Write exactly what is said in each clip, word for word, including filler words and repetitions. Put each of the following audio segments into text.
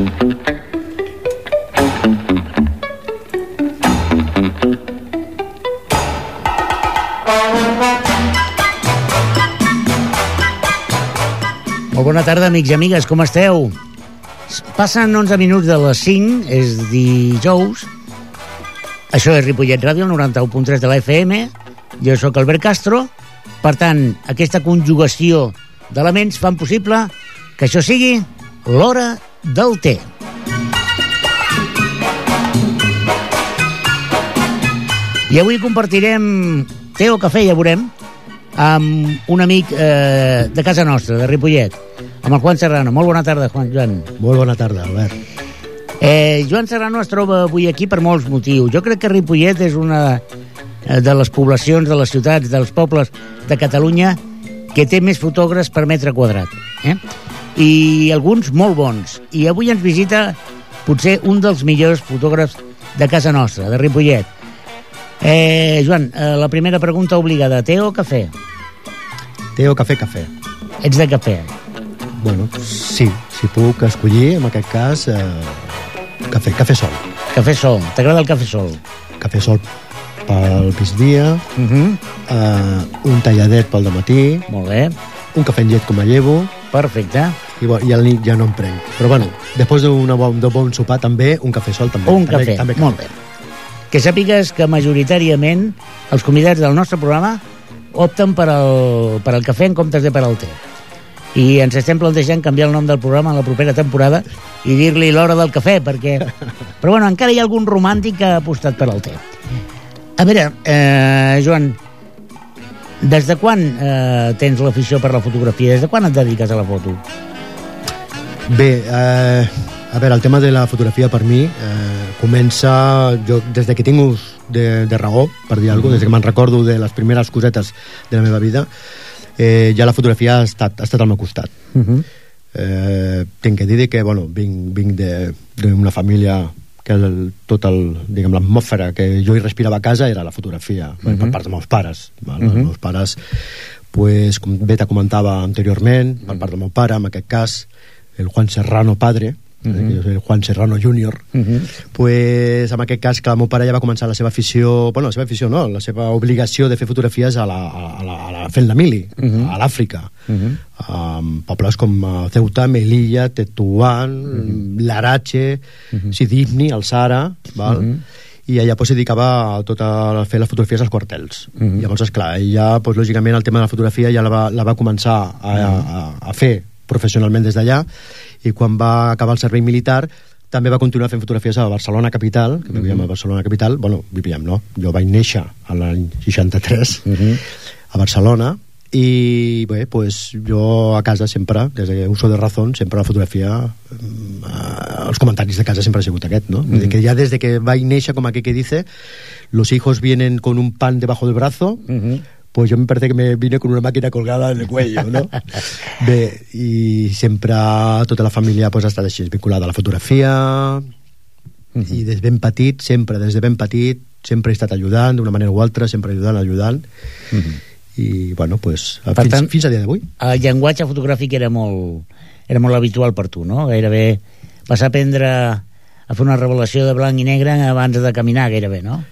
Molt bona tarda, amics i amigues, com esteu? Passen onze minuts de les cinc, és dijous. Això és Ripollet Ràdio, el noranta-u punt tres de la F M. Jo sóc Albert Castro. Per tant, aquesta conjugació d'elements fan possible que això sigui l'hora del té. I avui compartirem té o cafè, ja veurem, amb un amic eh, de casa nostra, de Ripollet, amb el Juan Serrano. Molt bona tarda, Juan. Joan. Molt bona tarda, Albert. Eh, Joan Serrano es troba avui aquí per molts motius. Jo crec que Ripollet és una de les poblacions, de les ciutats, dels pobles de Catalunya que té més fotògrafs per metre quadrat. Eh? I alguns molt bons. I avui ens visita potser un dels millors fotògrafs de casa nostra, de Ripollet. Eh, Joan, eh, la primera pregunta obligada, té o cafè? Té o cafè, cafè. Ets de cafè? Bueno, sí, si puc escollir, en aquest cas, eh, cafè, cafè sol. Cafè sol, t'agrada el cafè sol? Cafè sol pel migdia, Uh -huh. eh, un talladet pel dematí, Molt bé, un cafè amb llet com a llevo, perfecte. i, bo, i a la nit ja no em prenc. Però bueno, després d'un bon, bon sopar també, un cafè sol també. Un també, cafè, també molt bé. Que sàpigues que majoritàriament els convidats del nostre programa opten per al, per al cafè en comptes de per al té. I ens estem plantejant canviar el nom del programa a la propera temporada i dir-li l'hora del cafè, perquè... Però bueno, encara hi ha algun romàntic que ha apostat per al té. A veure, eh, Joan, des de quan eh, tens l'afició per la fotografia? Des de quan et dediques a la foto? Bé, eh, a veure, el tema de la fotografia per mi eh, comença jo, des de que tinc ús de, de raó, per dir alguna cosa, des que me'n recordo de les primeres cosetes de la meva vida, eh, ja la fotografia ha estat, ha estat al meu costat. Uh -huh. eh, tinc que dir que bueno, vinc, vinc d'una família que el, tot el, diguem, l'atmosfera que jo hi respirava a casa era la fotografia, uh -huh. per part dels meus pares. Val? Uh -huh. Els meus pares, pues, com bé te comentava anteriorment, per part del meu pare, en aquest cas, el Juan Serrano padre, uh -huh. que jo soy el Juan Serrano júnior, uh -huh. pues, en aquest cas, que el meu pare ja va començar la seva afició, bueno, la seva afició no, la seva obligació de fer fotografies a la, a la, a la fent la mili, uh -huh. a l'Àfrica, uh -huh. um, pobles com Ceuta, Melilla, Tetuán, uh -huh. Larache, uh -huh. Sidibni, el Sahara, val? Uh -huh. i allà pues, se dedicava a, tot a fer les fotografies als quartels. Uh -huh. Llavors, esclar, ella, pues, lògicament, el tema de la fotografia ja la va, la va començar a, a, a fer professionalment des d'allà, i quan va acabar el servei militar també va continuar fent fotografies a Barcelona capital, que vivíem a Barcelona capital. Bueno, vivíem, no? Jo vaig néixer a l'any seixanta-tres uh -huh. a Barcelona, i bé, pues, jo a casa sempre, des que uso de razón, sempre la fotografia, eh, els comentaris de casa sempre ha sigut aquest, no? Uh -huh. Que ja des de que vaig néixer, com aquí que dice, los hijos vienen con un pan debajo del brazo, uh -huh. pues yo me parece que me vine con una máquina colgada en el cuello, no? Bé, i sempre tota la família pues, ha estat així, vinculada a la fotografia, uh-huh. i des ben petit, sempre, des de ben petit, sempre he estat ajudant, d'una manera o altra, sempre ajudant, ajudant, uh-huh. i, bueno, pues, fins, tant, fins a dia d'avui. El llenguatge fotogràfic era molt, era molt habitual per tu, no? Gairebé vas aprendre a fer una revelació de blanc i negre abans de caminar, gairebé, no?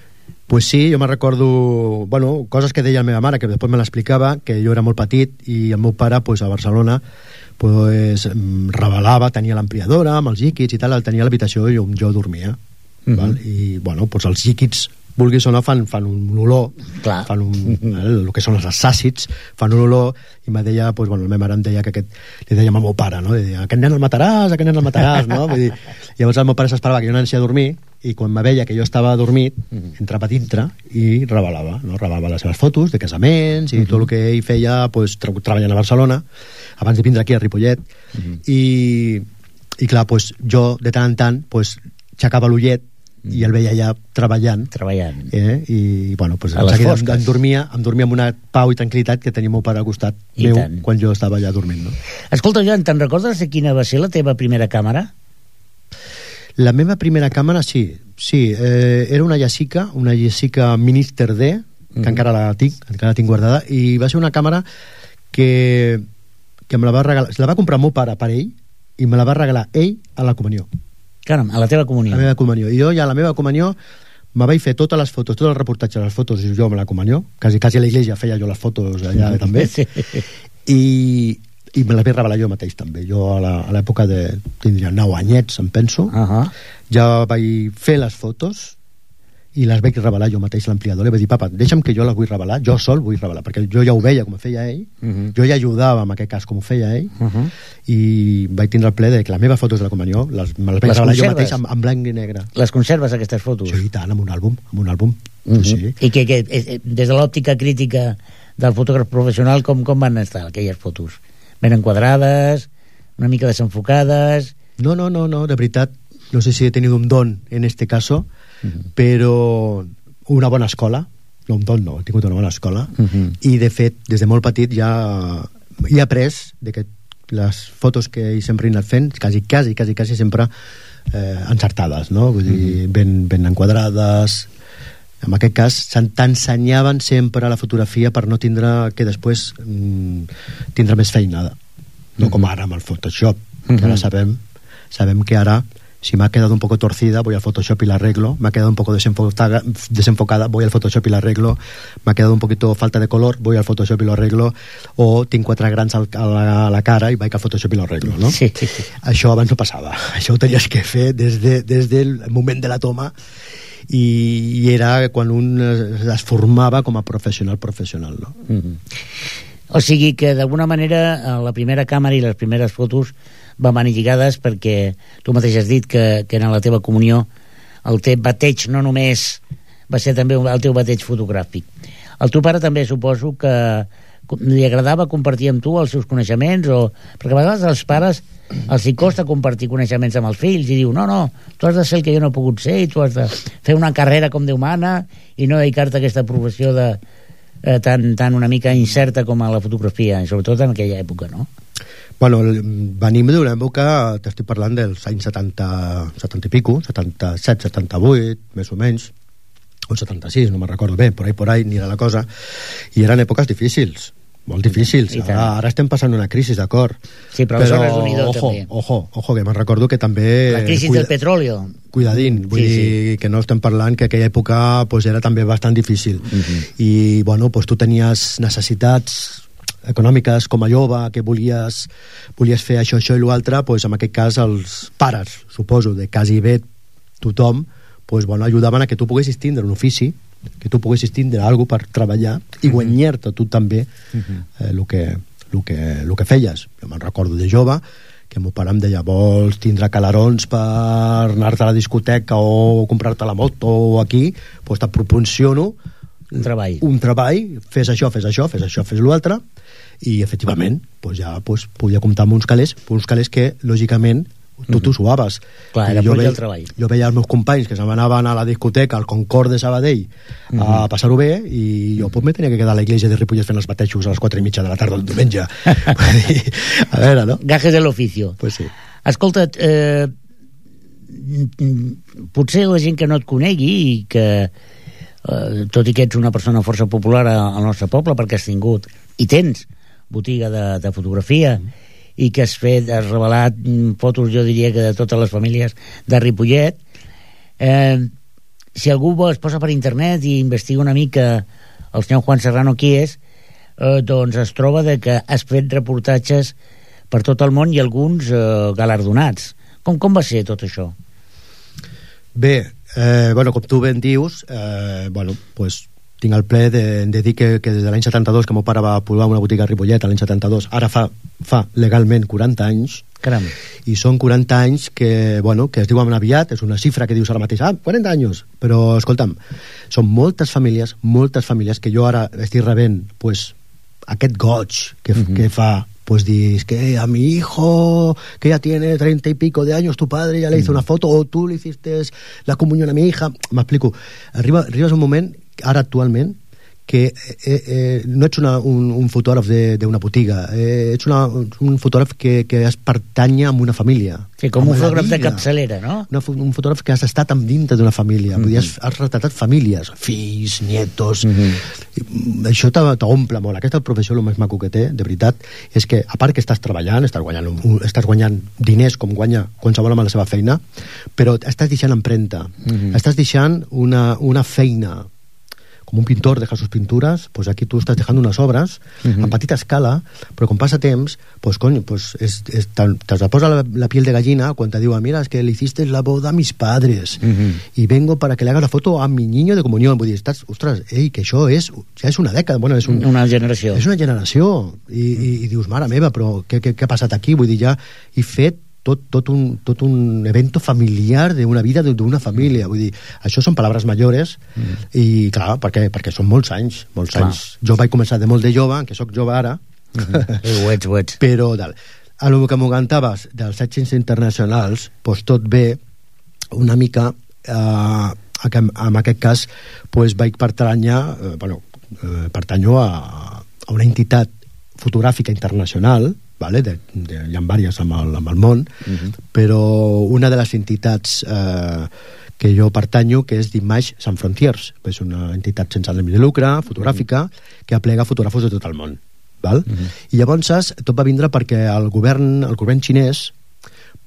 Pues sí, jo me recordo, bueno, coses que deia la meva mare, que després me l'explicava, que jo era molt petit i el meu pare, pues, a Barcelona, pues, revelava, tenia l'ampliadora amb els líquids i tal, el tenia a l'habitació i jo, jo dormia. Uh-huh. Val? I, bueno, pues, els líquids, vulguis o no, fan, fan un olor. Clar. Fan un, uh-huh. el que són els àcids, fan un olor, i me deia, pues, bueno, la meva mare em deia que aquest, li dèiem al meu pare, no? Li deia, aquest nen el mataràs, aquest nen el mataràs, no? Vull dir, llavors el meu pare s'esperava que jo anés a dormir, i quan me veia que jo estava dormit, uh-huh. entrava dintre i revelava, no? Revelava les seves fotos de casaments i uh-huh. tot el que ell feia, pues, tra- treballant a Barcelona abans de vindre aquí a Ripollet, uh-huh. i, i clar, pues, jo de tant en tant pues, aixecava l'ullet uh-huh. i el veia allà treballant, treballant. Eh? i bueno, pues, a les fosques em dormia, em dormia amb una pau i tranquil·litat que tenia el meu pare al costat I meu tant. Quan jo estava allà dormint, no? Escolta, Joan, te'n recordes de quina va ser la teva primera càmera? La meva primera càmera, sí, sí, eh, era una Yasica, una Yasica Minister D, que mm-hmm. encara la tinc, encara la tinc guardada, i va ser una càmera que, que me la va regalar, se la va comprar el meu pare per ell, i me la va regalar ell a la comunió. Caram, a la teva comunió. A la meva comunió. I jo ja a la meva comunió me vaig fer totes les fotos, tot el reportatge de les fotos jo amb la comunió, quasi, quasi a l'església feia jo les fotos allà també, sí. I, i me les vaig revelar jo mateix també. Jo a l'època de... tindria nou anyets, em penso. Uh -huh. Ja vaig fer les fotos i les vaig revelar jo mateix a l'ampliador. Li vaig dir, papa, deixa'm que jo les vull revelar, jo sol vull revelar, perquè jo ja ho veia com ho feia ell, uh -huh. jo ja ajudava en aquest cas com ho feia ell, uh -huh. i vaig tindre el ple de que les meves fotos de la comunió les, me les vaig les revelar jo mateix en, en blanc i negre. Les conserves, aquestes fotos? Sí, i tant, amb un àlbum, amb un àlbum. Uh -huh. Sí. I que, que des de l'òptica crítica del fotògraf professional, com, com van estar aquelles fotos? Ben enquadrades, una mica desenfocades? No, no, no, no, de veritat, no sé si he tenido un don en este caso, uh-huh. però una bona escola, no un don no, he tingut una bona escola, uh-huh. i de fet, des de molt petit ja he après de que les fotos que he sempre he anat fent, quasi, quasi, quasi, quasi sempre eh, encertades, no? Vull dir, uh-huh. ben, ben enquadrades. En aquest cas t'ensenyaven sempre la fotografia per no tindre que després mm, tindre més feinada, no uh-huh. com ara amb el Photoshop, que uh-huh. ara sabem sabem que ara si me ha quedado un poco torcida voy al Photoshop y la arreglo, me ha quedado un poco desenfocada, desenfocada voy al Photoshop y la arreglo, me ha quedado un poquito falta de color, voy al Photoshop y lo arreglo, o tinc quatre grans a la, a la cara i vaig al Photoshop i lo arreglo, no? Sí, sí, sí. Això abans no passava, això ho tenies que fer des, de, des del moment de la toma, i, i era quan un es formava com a professional professional, no? Mm-hmm. O sigui que d'alguna manera la primera càmera i les primeres fotos van venir lligades perquè tu mateix has dit que, que en la teva comunió el teu bateig no només va ser també el teu bateig fotogràfic. El teu pare també suposo que li agradava compartir amb tu els seus coneixements, o perquè a vegades als pares els hi costa compartir coneixements amb els fills i diu, no, no, tu has de ser el que jo no he pogut ser i tu has de fer una carrera com Déu mana i no dedicar-te a aquesta professió de, eh, tan, tan una mica incerta com a la fotografia, sobretot en aquella època, no? Bueno, venim d'una època, t'estic parlant dels anys setanta, setanta i pico, setanta-set, setanta-vuit, més o menys, o setanta-sis, no me'n recordo bé, por ahí, por ahí, anirà la cosa, i eren èpoques difícils, molt difícils. Ara, ara estem passant una crisi, d'acord. Sí, però, però ojo, també. ojo, ojo, que me'n recordo que també... La crisi cuida, del petróleo. Cuidadín, vull sí, dir sí. que no estem parlant que aquella època pues, era també bastant difícil. Uh-huh. I, bueno, pues, tu tenies necessitats econòmiques com a jove, que volies, volies fer això, això i l'altre, pues, en aquest cas els pares, suposo, de quasi bé tothom, pues, bueno, ajudaven a que tu poguessis tindre un ofici, que tu poguessis tindre alguna cosa per treballar i guanyar-te tu també el eh, que, lo que, lo que feies. Jo me'n recordo de jove que meu pare em deia, vols tindre calarons per anar-te a la discoteca o comprar-te la moto o aquí, doncs te proporciono un treball, un treball, fes això, fes això, fes això, fes l'altre, i efectivament doncs ja doncs, podia comptar amb uns calés, uns calés que lògicament tu t'ho suaves. Clar, era jo, veia, el treball. jo veia els meus companys que se'n anaven a la discoteca al Concord de Sabadell uh-huh. a passar-ho bé, i jo pues, me tenia que quedar a l'església de Ripollet fent els batejos a les quatre i mitja de la tarda del diumenge. A veure, no? Gajes de l'oficio. Pues sí. Escolta, eh, potser la gent que no et conegui i que eh, tot i que ets una persona força popular al nostre poble perquè has tingut i tens botiga de, de fotografia uh-huh. i que has fet, has revelat fotos, jo diria que de totes les famílies de Ripollet, eh, si algú es posa per internet i investiga una mica el senyor Juan Serrano qui és, eh, doncs es troba de que has fet reportatges per tot el món i alguns eh, galardonats. Com, com va ser tot això? Bé, eh, bueno, com tu ben dius, eh, bueno, pues tinc el ple de, de dir que, que des de l'any setanta-dos, que meu pare va posar una botiga a Ripollet l'any setanta-dos, ara fa, fa legalment quaranta anys. Caram. I són quaranta anys que, bueno, que es diuen aviat, és una xifra que dius ara mateix, ah, quaranta anys, però escolta'm, són moltes famílies, moltes famílies que jo ara estic rebent, pues, aquest goig que, uh-huh. que fa, pues dices que a mi hijo que ya tiene treinta y pico de años, tu padre ya le hizo una foto, o tú le hiciste la comunión a mi hija, m'explico, arriba, arribes un moment ara actualment que eh, eh, no ets una, un, un fotògraf d'una botiga, eh, ets una, un fotògraf que, que es pertanya a una família. Sí, com un fotògraf de capçalera, no? Una, un fotògraf que has estat amb dintre d'una família, mm-hmm. vull dir, has, has retratat famílies, fills, nietos, mm-hmm. això t'omple molt. Aquesta professió, el més maco que té, de veritat, és que, a part que estàs treballant, estàs guanyant, estàs guanyant diners com guanya qualsevol amb la seva feina, però estàs deixant empremta, mm-hmm. estàs deixant una, una feina, com un pintor deja sus pinturas, pues aquí tú estás dejando unas obras uh-huh. a petita escala, però com passa temps, pues coño, pues es, es, te, te posa la, la piel de gallina quan te diu, mira, es que le hiciste la boda a mis padres uh-huh. y vengo para que le haga la foto a mi niño de comunión. Vull dir, estàs, ostres, ei, que això és, ja és una dècada, bueno, és un, una generació. És una generació, i, i, i dius, mare meva, però què, què, què ha passat aquí? Vull dir, ja he fet tot, tot, un, tot un evento familiar d'una vida d'una família, vull dir, això són paraules majores mm. i clar, perquè, perquè són molts anys, molts clar. anys. Jo vaig començar de molt de jove, que sóc jove ara, mm-hmm. ho ets, ho ets. Però tal. A lo que m'ho cantaves dels èxits internacionals, doncs tot ve una mica eh, en aquest cas doncs vaig pertanyar eh, bueno, eh, pertanyo a, a una entitat fotogràfica internacional, vale? de, de, hi ha diverses amb el, amb el món, uh-huh. però una de les entitats eh, que jo pertanyo, que és d'Images Sans Frontières, és una entitat sense ànim de lucre, fotogràfica, uh-huh. que aplega fotògrafos de tot el món. Val? Uh-huh. I llavors tot va vindre perquè el govern, el govern xinès,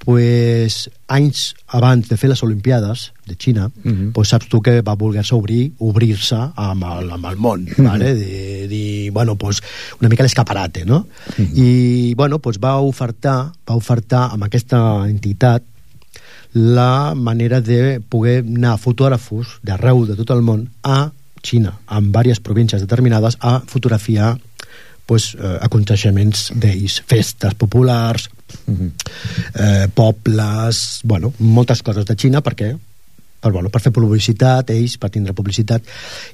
pues, anys abans de fer les Olimpiades de Xina, uh-huh. pues, saps tu que va voler-se obrir, obrir-se amb el, amb el món, uh-huh. vale? de dir, bueno, pues, una mica l'escaparate, no? Uh-huh. I, bueno, pues, va ofertar, va ofertar amb aquesta entitat la manera de poder anar fotògrafos d'arreu de tot el món a Xina, en diverses províncies determinades, a fotografiar pues, eh, aconteixements d'ells, festes populars, uh-huh. eh, pobles, bueno, moltes coses de Xina, perquè per, bueno, per fer publicitat, ells, per tindre publicitat.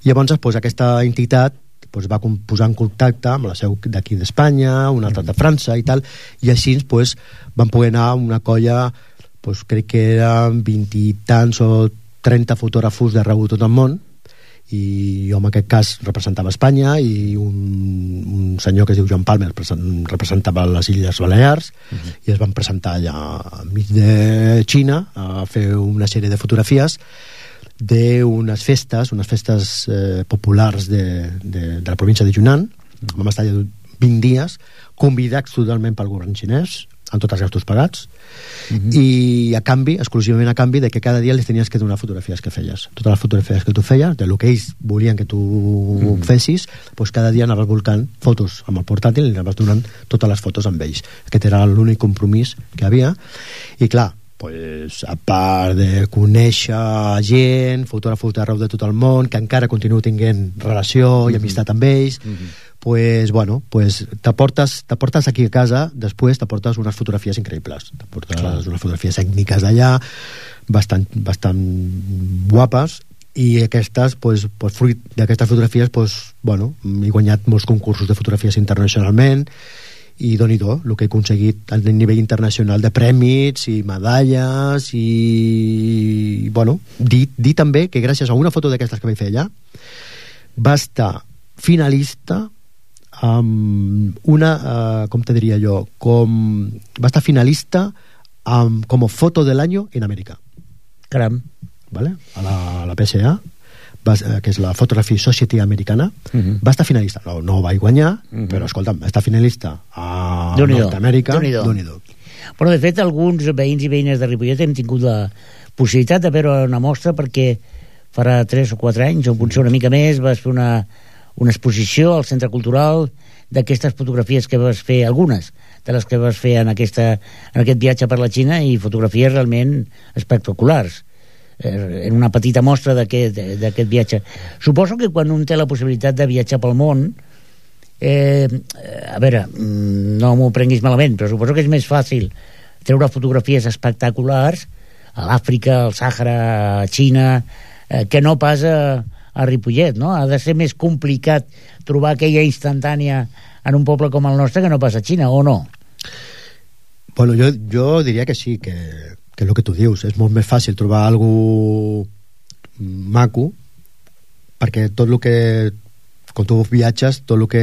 I llavors pues, aquesta entitat pues, va posar en contacte amb la seu d'aquí d'Espanya, una altra de França i tal, i així pues, van poder anar a una colla, pues, crec que eren vint i tants o trenta fotògrafos d'arreu de tot el món, i jo en aquest cas representava Espanya i un, un senyor que es diu Joan Palmer representava les Illes Balears uh-huh. i es van presentar allà enmig de Xina a fer una sèrie de fotografies d'unes festes unes festes eh, populars de, de, de la província de Yunnan. Uh-huh. Vam estar allà vint dies convidats totalment pel govern xinès amb tots els gastos pagats uh-huh. i a canvi, exclusivament a canvi de que cada dia les tenies que donar fotografies que feies, totes les fotografies que tu feies, de lo que ells volien que tu uh-huh. fessis, doncs cada dia anaves volcant fotos amb el portàtil i anaves donant totes les fotos amb ells. Aquest era l'únic compromís que havia i clar, pues, a part de conèixer gent, fotògrafos d'arreu de tot el món, que encara continuo tinguent relació uh-huh. i amistat amb ells, uh-huh. pues, bueno, pues t'aportes, t'aportes aquí a casa, després t'aportes unes fotografies increïbles, t'aportes Clar. unes fotografies ètniques d'allà, bastant, bastant guapes, i aquestes, pues, pues fruit d'aquestes fotografies, pues, bueno, he guanyat molts concursos de fotografies internacionalment, i doni-do, el que he aconseguit a nivell internacional de prèmits i medalles i, bueno, dir, dir també que gràcies a una foto d'aquestes que vaig fer allà va estar finalista amb una, uh, com te diria jo, com va estar finalista amb, com a foto de l'any en Amèrica. Caram. Vale? A la, a la P S A, va, que és la Photography Society americana, uh-huh. va estar finalista. No, no ho vaig guanyar, uh-huh. però escolta'm, va estar finalista a Nord-Amèrica. Déu-n'hi-do. Déu-n'hi-do. Però de fet alguns veïns i veïnes de Ripollet hem tingut la possibilitat de veure una mostra perquè farà tres o quatre anys, o potser una mica més, vas fer una una exposició al Centre Cultural d'aquestes fotografies que vas fer, algunes de les que vas fer en, aquesta, en aquest viatge per la Xina, i fotografies realment espectaculars en una petita mostra d'aquest viatge. Suposo que quan un té la possibilitat de viatjar pel món, eh, a veure, no m'ho prenguis malament, però suposo que és més fàcil treure fotografies espectaculars a l'Àfrica, al Sàhara, a Xina, eh, que no pas a a Ripollet, no? Ha de ser més complicat trobar aquella instantània en un poble com el nostre que no pas a Xina, o no? Bueno, jo, jo diria que sí, que, que el que tu dius, és molt més fàcil trobar algú maco, perquè tot el que quan tu viatges, tot el que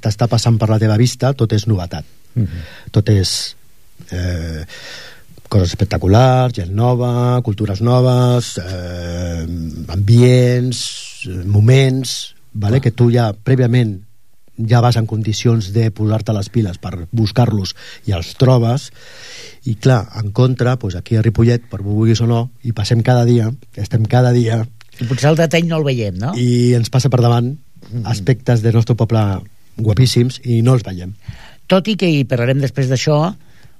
t'està passant per la teva vista, tot és novetat. Mm-hmm. Tot és eh, coses espectaculars, gent nova, cultures noves, eh, ambients, moments, vale? Que tu ja prèviament ja vas en condicions de posar-te les piles per buscar-los i els trobes. I clar, en contra, doncs aquí a Ripollet, per vulguis o no, i passem cada dia, estem cada dia... I potser el detall no el veiem, no? I ens passa per davant mm-hmm. aspectes del nostre poble guapíssims i no els veiem. Tot i que, i parlarem després d'això,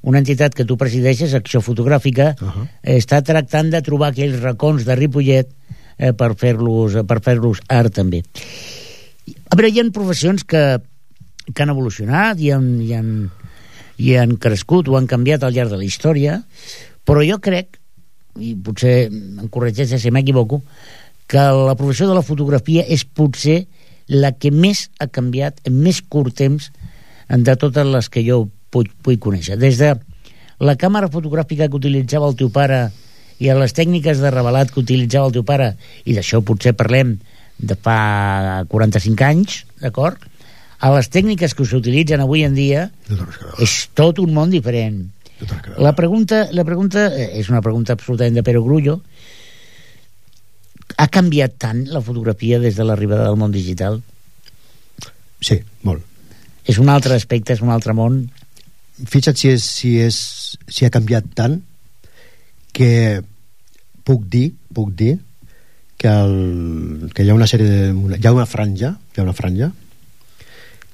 una entitat que tu presideixes, Acció Fotogràfica, uh-huh. està tractant de trobar aquells racons de Ripollet eh, per fer-los per fer-los art també. A veure, hi ha professions que, que han evolucionat i han, i, han, i han crescut o han canviat al llarg de la història, però jo crec, i potser em corregeix si m'equivoco, que la professió de la fotografia és potser la que més ha canviat en més curt temps de totes les que jo puc, puc conèixer. Des de la càmera fotogràfica que utilitzava el teu pare i a les tècniques de revelat que utilitzava el teu pare, i d'això potser parlem de fa quaranta-cinc anys, d'acord? A les tècniques que s'utilitzen avui en dia és tot un món diferent. La pregunta, la pregunta és una pregunta absolutament de perogrullo. Ha canviat tant la fotografia des de l'arribada del món digital? Sí, molt. És un altre aspecte, és un altre món. Fixa't si, és, si, és, si ha canviat tant que puc dir, puc dir que, el, que hi ha una sèrie de, una, hi ha una franja, hi ha una franja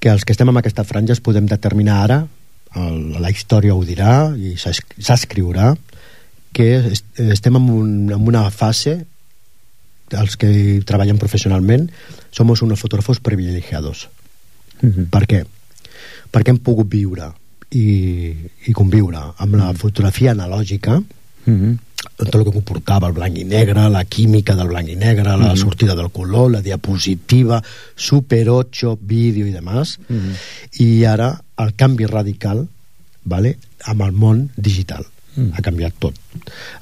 que els que estem en aquesta franja es podem determinar ara, el, la història ho dirà i s'escriurà, que estem en, un, en una fase, els que treballen professionalment som unos fotògrafos privilegiados. Uh-huh. Per què? Perquè hem pogut viure i, i conviure amb la fotografia analògica, uh-huh. tot el que comportava el blanc i negre, la química del blanc i negre, uh-huh. la sortida del color, la diapositiva, Super ocho, vídeo i demás, uh-huh. i ara el canvi radical, vale, amb el món digital. Uh-huh. Ha canviat tot.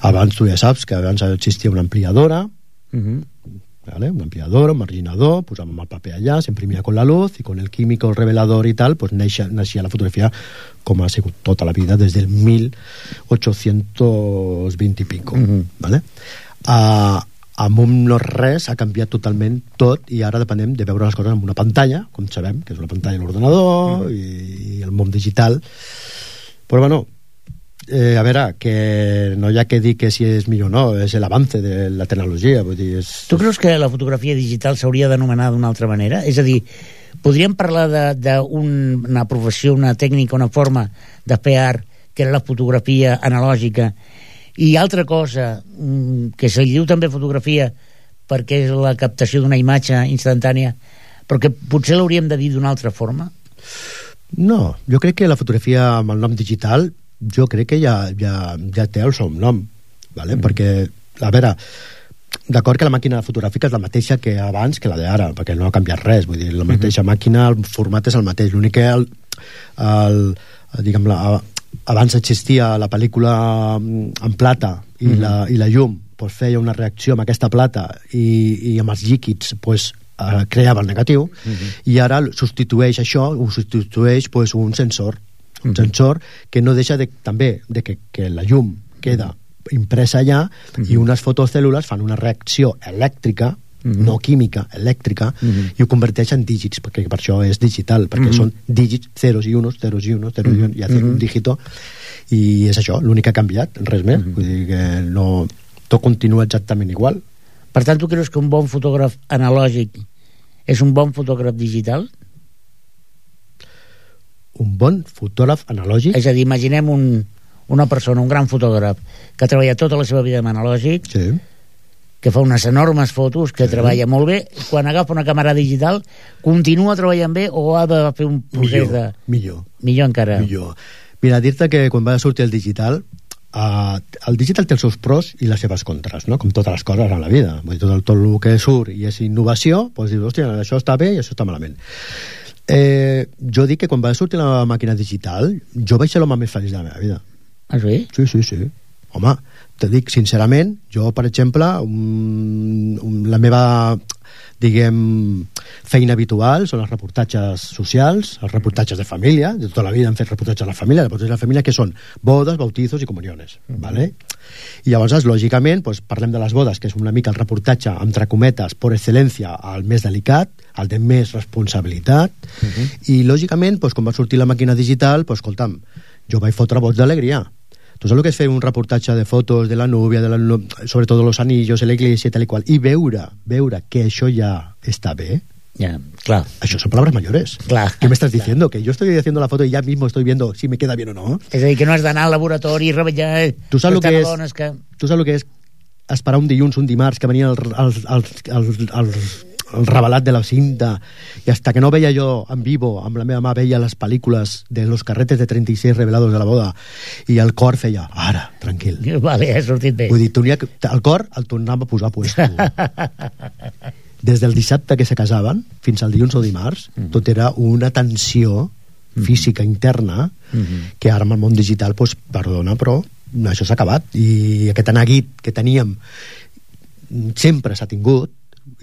Abans tu ja saps que abans existia una ampliadora, uh-huh. ¿vale? Un ampliador, un marginador, posàvem el paper allà, s'imprimia con la luz i con el químico, el revelador i tal, pues naixia, naixia la fotografia com ha sigut tota la vida des del mil ocho-cents vint i pico, uh-huh. ¿vale? Uh, amb un no res ha canviat totalment tot i ara depenem de veure les coses amb una pantalla, com sabem, que és una pantalla a l'ordenador, uh-huh. i, i el món digital. Però bueno, Eh, a veure, que no hi ha que dir que si és millor o no, és l'avance de la tecnologia, vull dir, és... Tu creus que la fotografia digital s'hauria d'anomenar d'una altra manera? És a dir, podríem parlar d'una professió, una tècnica, una forma de fer art, que era la fotografia analògica, i altra cosa, que se li diu també fotografia perquè és la captació d'una imatge instantània, però que potser l'hauríem de dir d'una altra forma? No, jo crec que la fotografia amb el nom digital jo crec que ja, ja, ja té el seu nom, vale? Mm. perquè, a veure, d'acord que la màquina fotogràfica és la mateixa que abans que la d'ara, perquè no ha canviat res, vull dir, la mateixa mm-hmm. màquina, el format és el mateix, l'únic que el, el, diguem, la, abans existia la pel·lícula en plata i, mm-hmm. la, i la llum pues, feia una reacció amb aquesta plata i, i amb els líquids pues, eh, creava el negatiu, mm-hmm. i ara substitueix això, ho substitueix pues, un sensor un sensor que no deixa de, també de que, que la llum queda impresa allà, uh-huh. i unes fotocèl·lules fan una reacció elèctrica, uh-huh. no química, elèctrica, uh-huh. i ho converteix en dígits, perquè per això és digital, perquè uh-huh. són dígits, zeros i unos, zeros i unos, zeros uh-huh. i unos, i hacer uh-huh. un dígito, i és això, l'únic que ha canviat, res més, uh-huh. vull dir que no, tot continua exactament igual. Per tant, tu creus que un bon fotògraf analògic és un bon fotògraf digital? Un bon fotògraf analògic? És a dir, imaginem un, una persona, un gran fotògraf, que treballa tota la seva vida amb analògic, sí. que fa unes enormes fotos, que sí. treballa molt bé, quan agafa una càmera digital, continua treballant bé o ha de fer un procés millor, de... Millor. Millor encara. Millor. Mira, dir-te que quan va sortir el digital, uh, el digital té els seus pros i les seves contres, no? Com totes les coses en la vida. Vull dir, tot el, tot el que surt i és innovació, doncs dius, hòstia, això està bé i això està malament. Eh, jo dic que quan va sortir la màquina digital jo vaig ser l'home més feliç de la meva vida. Ah, sí? Sí, sí, sí. Home, te dic sincerament, jo, per exemple, um, um, la meva, diguem, feina habitual són els reportatges socials, els reportatges de família, de tota la vida hem fet reportatges de la família, reportatges de la família que són bodes, bautizos i comuniones, mm-hmm. ¿vale? I llavors, lògicament, doncs, parlem de les bodes, que és una mica el reportatge, entre cometes, per excel·lència, el més delicat, el de més responsabilitat, mm-hmm. i lògicament, doncs, quan va sortir la màquina digital, doncs, escolta'm, jo vaig fotre bots d'alegria. Tu saps el que és fer un reportatge de fotos de la núvia, de la, sobretot los anillos, en la iglesia, tal i qual, i veure, veure que això ja està bé. Ya, claro. Això són palabras mayores. Claro. ¿Qué me estás diciendo? Que yo estoy haciendo la foto y ya mismo estoy viendo si me queda bien o no. És a dir, que no has d'anar al laboratori i revetllar... Tu saps el que és, que... tu saps el que és esperar un dilluns, un dimarts, que venien els, els, els, els, els, el revelat de la cinta, i hasta que no veia jo en vivo, amb la meva mà veia les pel·lícules de los carretes de trenta y seis revelados de la boda, i el cor feia, ara, tranquil. Vale, ha sortit bé. Vull dir, el cor el tornava a posar puesto. Des del dissabte que se casaven fins al dilluns o dimarts, mm-hmm. tot era una tensió física interna mm-hmm. que ara amb el món digital, pues, perdona, però això s'ha acabat, i aquest neguit que teníem sempre s'ha tingut,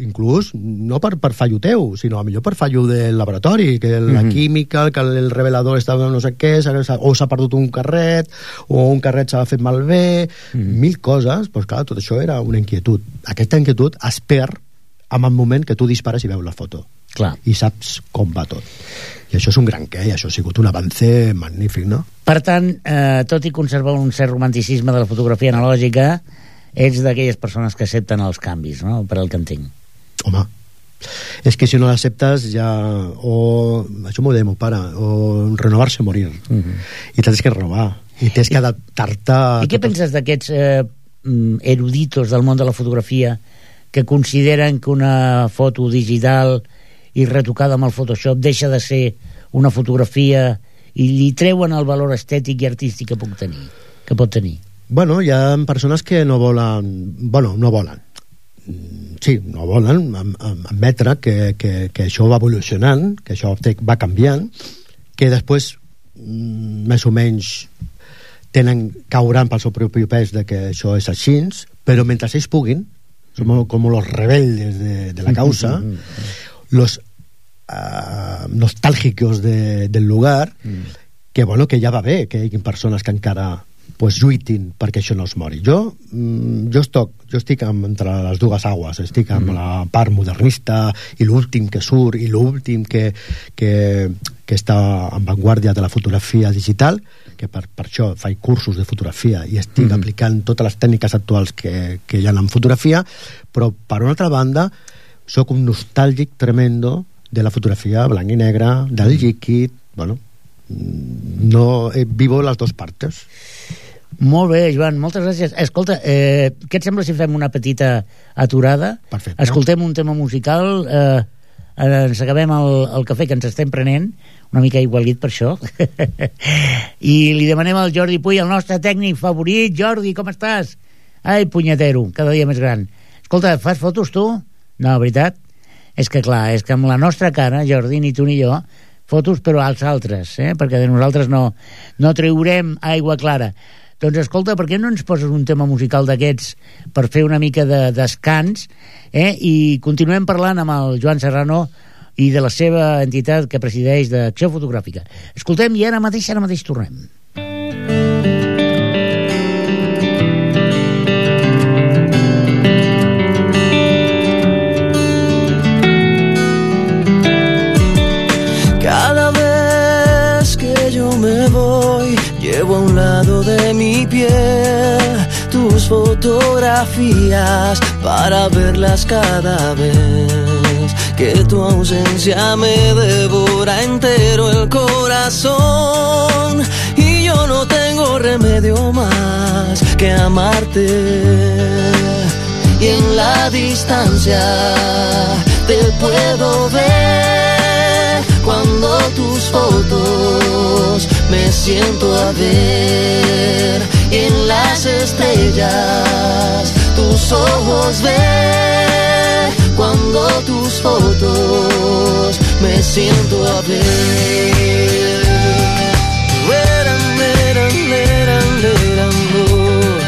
inclús no per, per fallo teu, sinó a millor per fallo del laboratori, que la mm-hmm. química, que el revelador estava no sé què, o s'ha perdut un carret, o un carret s'ha fet malbé, mm-hmm. mil coses, doncs clar, tot això era una inquietud. Aquesta inquietud es perd en el moment que tu dispares i veus la foto. Clar. I saps com va tot. I això és un gran què, i això ha sigut un avance magnífic, no? Per tant, eh, tot i conservar un cert romanticisme de la fotografia analògica, ets d'aquelles persones que accepten els canvis, no?, per al que entenc. Home, és que si no l'acceptes ja... o això m'ho deia meu pare, o renovar-se o morir. Uh-huh. I tens que renovar, i tens que adaptar... I què penses d'aquests eh, eruditos del món de la fotografia que consideren que una foto digital i retocada amb el Photoshop deixa de ser una fotografia i li treuen el valor estètic i artístic que puc tenir, que pot tenir? Bueno, hi ha persones que no volen... Bueno, no volen. Sí, no volen admetre que, que, que això va evolucionant, que això va canviant, que després, més o menys, tenen, cauran pel seu propi pes de que això és així, però mentre ells puguin, som com los rebeldes de, de la causa, los uh, nostàlgicos de, del lugar, que bueno, que ja va bé que hi hagi persones que encara pues, lluitin perquè això no es mori. Jo, mm, jo, estoc, jo estic amb, entre les dues aguas, estic amb mm. la part modernista i l'últim que surt i l'últim que, que, que està en vanguardia de la fotografia digital, que per, per això faig cursos de fotografia i estic mm. aplicant totes les tècniques actuals que, que hi ha en fotografia, però per una altra banda sóc un nostàlgic tremendo de la fotografia blanc i negre, del líquid, bueno, no, eh, vivo les dues parts. Molt bé, Joan, moltes gràcies. Escolta, eh, què et sembla si fem una petita aturada? Perfecte. Escoltem un tema musical, eh, ens acabem el, el cafè que ens estem prenent, una mica igualit per això, i li demanem al Jordi Puy, el nostre tècnic favorit. Jordi, com estàs? Ai, punyetero, cada dia més gran. Escolta, fas fotos tu? No, veritat? És que clar, és que amb la nostra cara, Jordi, ni tu ni jo, fotos però als altres, eh? Perquè de nosaltres no, no treurem aigua clara. Doncs escolta, per què no ens poses un tema musical d'aquests per fer una mica de descans, eh? I continuem parlant amb el Joan Serrano i de la seva entitat que presideix d'Acció Fotogràfica. Escoltem i ara mateix, ara mateix tornem. Cada vez que yo me voy, llevo a un lado de mi piel tus fotografías para verlas cada vez que tu ausencia me devora entero el corazón y yo no tengo remedio más que amarte y en la distancia te puedo ver cuando tus fotos me siento a ver y en las estrellas tus ojos ver cuando tus fotos me siento a ver. Veran, veran, veran, veran, oh.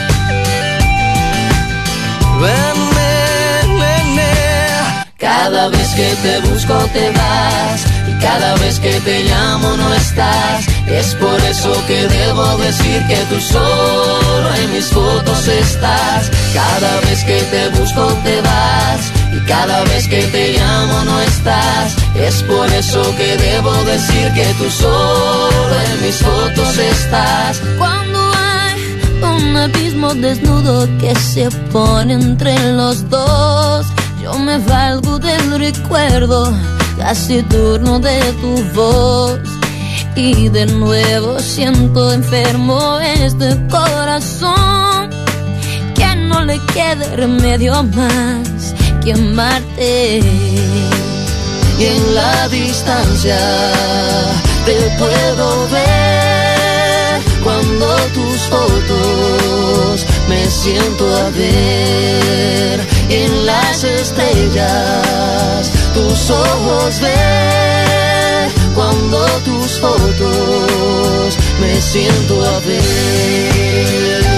ven, ven, ven, ven. Cada vez que te busco te vas, y cada vez que te llamo no estás. Es por eso que debo decir que tú solo en mis fotos estás. Cada vez que te busco te vas, y cada vez que te llamo no estás. Es por eso que debo decir que tú solo en mis fotos estás. Cuando hay un abismo desnudo que se pone entre los dos, yo me valgo del recuerdo casi turno de tu voz. Y de nuevo siento enfermo este corazón, que no le quede remedio más que amarte. Y en la distancia te puedo ver, cuando tus fotos me siento a ver. En las estrellas tus ojos ver, cuando tus fotos me siento a ver.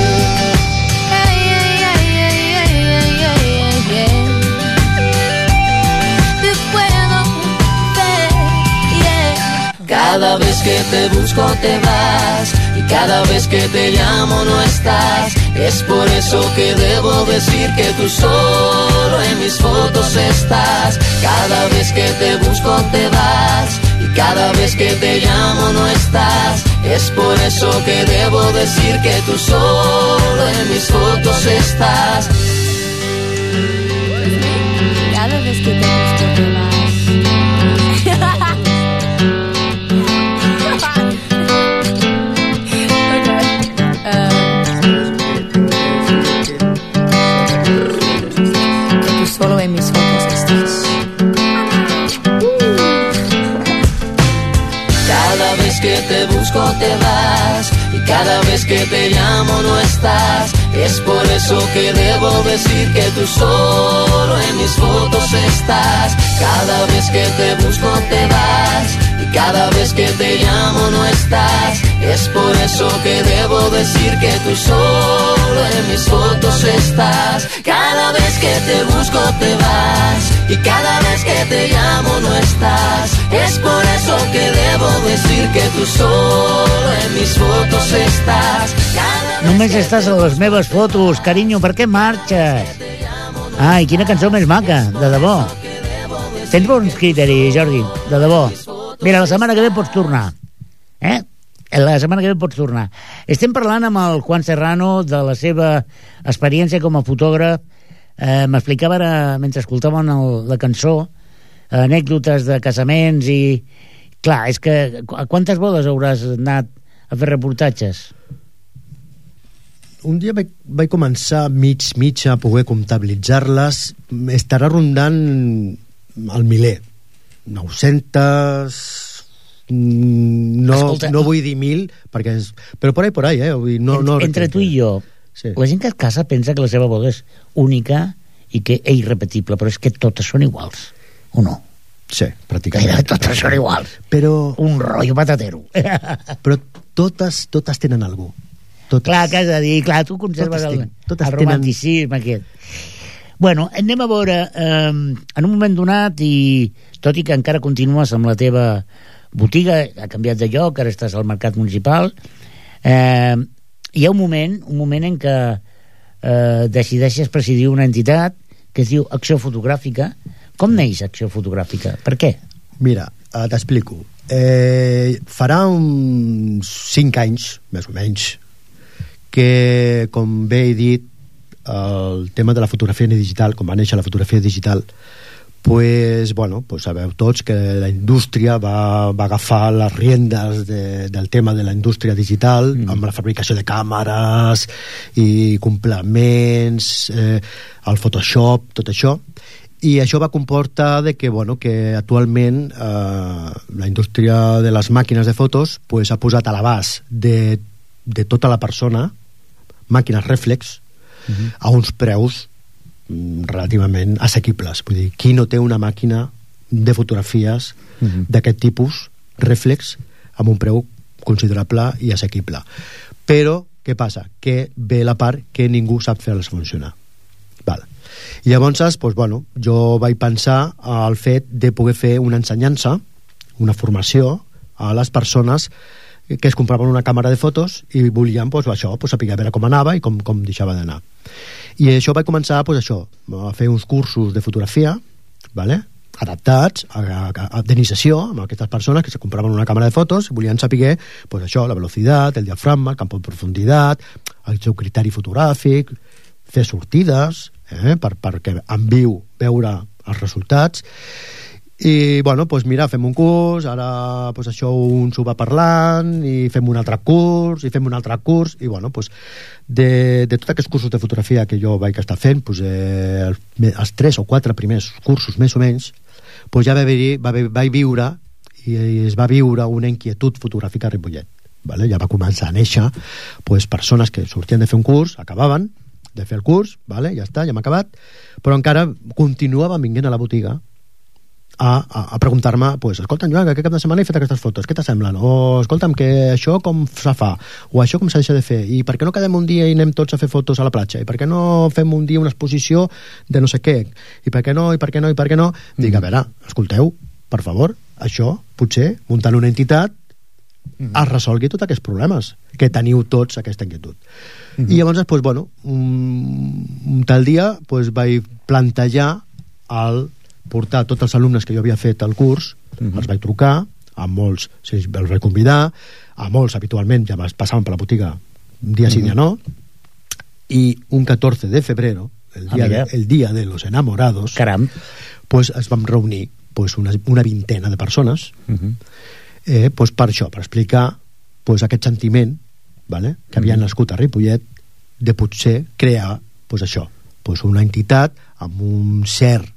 Cada vez que te busco te vas, y cada vez que te llamo no estás. Es por eso que debo decir que tú solo en mis fotos estás. Cada vez que te busco te vas, y cada vez que te llamo no estás. Es por eso que debo decir que tú solo en mis fotos estás. Cada vez que te busco te vas. Solo en mis fotos estás. Cada vez que te busco te vas, y cada vez que te llamo no estás. Es por eso que debo decir que tú solo en mis fotos estás. Cada vez que te busco te vas, y cada vez que te llamo no estás. Es por eso que debo decir que tú solo en mis fotos estás. Cada vez que te busco te vas, y cada vez que te llamo no estás. Es por eso que debo decir que tú solo en mis fotos estás. Només estàs a les meves fotos, carinyo, per què marxes? Ai, quina cançó més maca, de debò. Tens bons criteris, Jordi, de debò. Mira, la setmana que ve pots tornar. Eh? La setmana que ve pots tornar. Estem parlant amb el Juan Serrano de la seva experiència com a fotògraf. Eh, M'explicava ara, mentre escoltàvem el, la cançó, anècdotes de casaments i... Clar, és que a quantes bodes hauràs anat a fer reportatges? Un dia vaig, vaig començar mig, mig a poder comptabilitzar-les. Estarà rondant el miler. nou-centes... No, Escolta, no vull dir mil, perquè és, però por ahí, por ahí, eh? Vull dir, no, entre, no entre tu i jo, sí. La gent que es casa pensa que la seva boda és única i que és irrepetible, però és que totes són iguals, o no? Sí, pràcticament. Gairebé totes són iguals. Però... Un rotllo patatero. Però totes, totes tenen algú. Totes. Clar, que has de dir, clar, tu conserves el, el romanticisme tenen... aquest. Bueno, anem a veure, eh, en un moment donat, i tot i que encara continues amb la teva botiga, ha canviat de lloc, ara estàs al mercat municipal, eh, hi ha un moment, un moment en què eh, decideixes presidir una entitat que es diu Acció Fotogràfica. Com neix Acció Fotogràfica? Per què? Mira, eh, t'explico. Eh, farà uns cinc anys, més o menys, que, com bé he dit, el tema de la fotografia digital, com va néixer la fotografia digital, pues, bueno, pues sabeu tots que la indústria va, va agafar les riendes de, del tema de la indústria digital, mm. amb la fabricació de càmeres i complements, eh, el Photoshop, tot això, i això va comportar de que, bueno, que actualment eh, la indústria de les màquines de fotos pues, ha posat a l'abast de, de tota la persona màquines rèflex uh-huh. a uns preus relativament assequibles. Vull dir, qui no té una màquina de fotografies uh-huh. d'aquest tipus, rèflex, amb un preu considerable i assequible. Però, què passa? Que ve la part que ningú sap fer-les funcionar. Val. I llavors, doncs, bueno, jo vaig pensar al fet de poder fer una ensenyança, una formació a les persones que es compraven una càmera de fotos i volien, doncs, això, doncs, saber a veure com anava i com, com deixava d'anar. I això vaig començar, doncs, això, a fer uns cursos de fotografia, vale? Adaptats a, a, a d'iniciació amb aquestes persones que se compraven una càmera de fotos i volien saber, pues això, la velocitat, el diafragma, el camp de profunditat, el seu criteri fotogràfic, fer sortides, eh, per, perquè en viu veure els resultats. I, bueno, doncs mira, fem un curs, ara pues, això un s'ho va parlant, i fem un altre curs, i fem un altre curs, i, bueno, doncs, de, de tots aquests cursos de fotografia que jo vaig estar fent, doncs, eh, els, els tres o quatre primers cursos, més o menys, doncs ja vaig, vaig, vaig viure, i es va viure una inquietud fotogràfica a Ripollet. Vale? Ja va començar a néixer doncs, persones que sortien de fer un curs, acabaven de fer el curs, vale? Ja està, ja hem acabat, però encara continuaven vinguent a la botiga a, a, a preguntar-me, pues, escolta'm, Joan, que aquest cap de setmana he fet aquestes fotos, què t'assemblen? O, escolta'm, que això com se fa? O això com s'ha deixat de fer? I per què no quedem un dia i anem tots a fer fotos a la platja? I per què no fem un dia una exposició de no sé què? I per què no, i per què no, i per què no? Mm. Dic, a veure, escolteu, per favor, això, potser, muntant una entitat, mm. es resolgui tots aquests problemes, que teniu tots aquesta inquietud. Mm -hmm. I llavors, pues, bueno, un, un tal dia pues, vaig plantejar el portar tots els alumnes que jo havia fet el curs, uh-huh. els vaig trucar, a molts sí, els vaig convidar, a molts habitualment ja passaven per la botiga un dia uh-huh. sí, dia no, i un catorze de febrero, el dia, ah, de, el dia de los enamorados, caram, pues, es vam reunir pues, una, una vintena de persones uh-huh. eh, pues, per això, per explicar pues, aquest sentiment, vale, que havia uh-huh. nascut a Ripollet, de potser crear pues, això, pues, una entitat amb un cert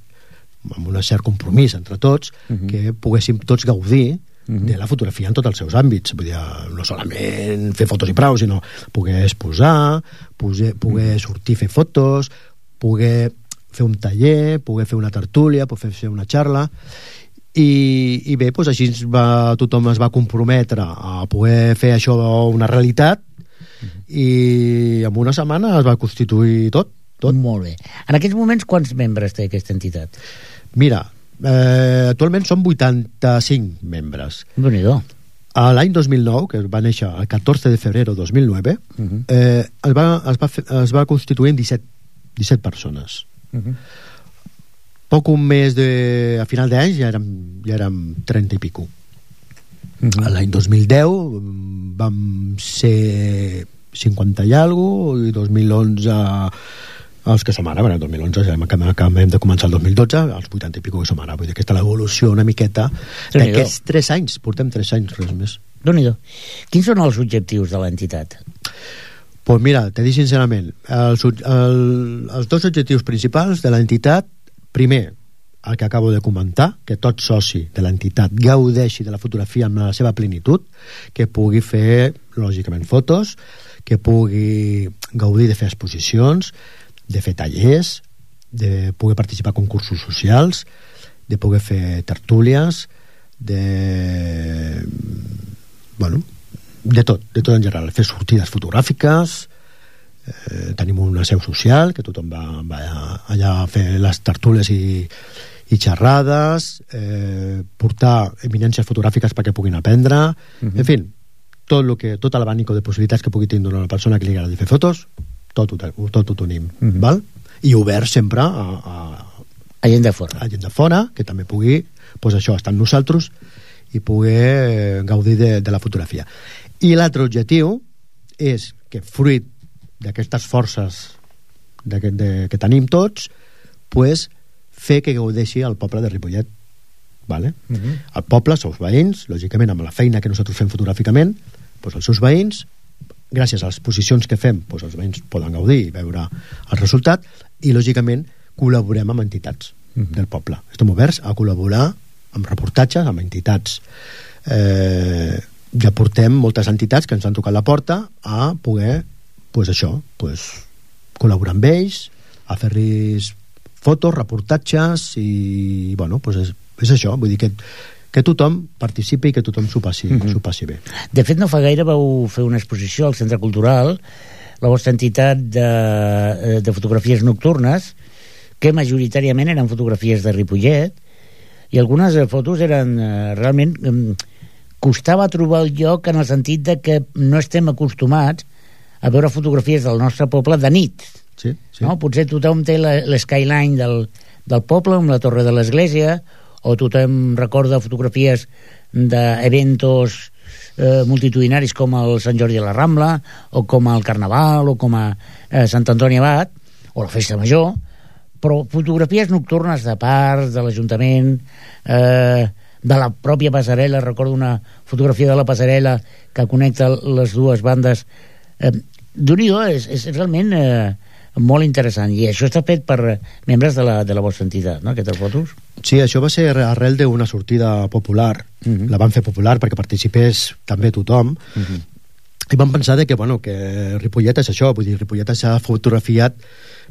amb un cert compromís entre tots, uh-huh. que poguéssim tots gaudir uh-huh. de la fotografia en tots els seus àmbits. Vull dir, no solament fer fotos i prou, sinó poder exposar, poder, poder sortir a fer fotos, poder fer un taller, poder fer una tertúlia, poder fer una xarra, i, i bé, doncs així va, tothom es va comprometre a poder fer això una realitat, uh-huh. i en una setmana es va constituir tot. Tot. Molt bé. En aquests moments, quants membres té aquesta entitat? Mira, eh, actualment són vuitanta-cinc membres. Déu-n'hi-do. L'any dos mil nou, que va néixer el catorze de febrer de dos mil nou, uh-huh. eh, es, va, es, va fer, es va constituir en disset, disset persones. Uh-huh. Poc un mes de... A final d'any ja érem, ja érem trenta i pico. Uh-huh. L'any dos mil deu vam ser cinquanta i alguna cosa, i dos mil onze... els que som ara, bueno, el dos mil onze ja acabem de començar el dos mil dotze, els vuitanta i pico que som ara, vull dir que aquesta l'evolució una miqueta d'aquests tres anys, portem tres anys, res més. Déu-n'hi-do. Quins són els objectius de l'entitat? Pues mira, te dic sincerament, els, el, els dos objectius principals de l'entitat, primer, el que acabo de comentar, que tot soci de l'entitat gaudeixi de la fotografia en la seva plenitud, que pugui fer, lògicament, fotos, que pugui gaudir de fer exposicions, de fer tallers, de poder participar en concursos socials, de poder fer tertúlies, de... bueno, de tot, de tot en general. Fer sortides fotogràfiques, eh, tenim una seu social, que tothom va, va allà a fer les tertúlies i, i xerrades, eh, portar eminències fotogràfiques perquè puguin aprendre, uh-huh. en fi, tot, lo que, tot l'abanico de possibilitats que pugui tindre una persona que li agradi fer fotos, tot ho, tot ho tenim, mm-hmm. val? I obert sempre a, a, a gent de fora, a gent de fora que també pugui, pues això, estar amb nosaltres i poder gaudir de, de la fotografia. I l'altre objectiu és que fruit d'aquestes forces de, de, que tenim tots, pues, fer que gaudeixi el poble de Ripollet, vale? Mm-hmm. El poble, els seus veïns, lògicament amb la feina que nosaltres fem fotogràficament, pues, els seus veïns, gràcies a les exposicions que fem, doncs els veïns poden gaudir i veure el resultat, i lògicament col·laborem amb entitats uh-huh. del poble. Estem oberts a col·laborar amb reportatges, amb entitats. Eh, ja portem moltes entitats que ens han tocat la porta a poder, pues això, pues, col·laborar amb ells, a fer-los fotos, reportatges, i bueno, pues és, és això, vull dir que que tothom participi i que tothom s'ho passi, mm-hmm. s'ho passi bé. De fet, no fa gaire vau fer una exposició al Centre Cultural la vostra entitat de, de fotografies nocturnes, que majoritàriament eren fotografies de Ripollet, i algunes fotos eren eh, realment... Eh, costava trobar el lloc en el sentit de que no estem acostumats a veure fotografies del nostre poble de nit. Sí, sí. No? Potser tothom té l'eskyline del, del poble, amb la torre de l'església, o tothom recorda fotografies d'eventos eh, multitudinaris com el Sant Jordi a la Rambla, o com el Carnaval, o com a eh, Sant Antoni Abat, o la Festa Major, però fotografies nocturnes de parcs, de l'Ajuntament, eh, de la pròpia passarel·la. Recordo una fotografia de la passarel·la que connecta les dues bandes. Eh, Déu-n'hi-do, és, és realment eh, molt interessant, i això està fet per membres de la, de la vostra entitat, no?, aquestes fotos. Sí, això va ser arrel d'una sortida popular. Uh-huh. La van fer popular perquè participés també tothom. Uh-huh. I vam pensar de que, bueno, que Ripollet és això, vull dir, Ripollet s'ha fotografiat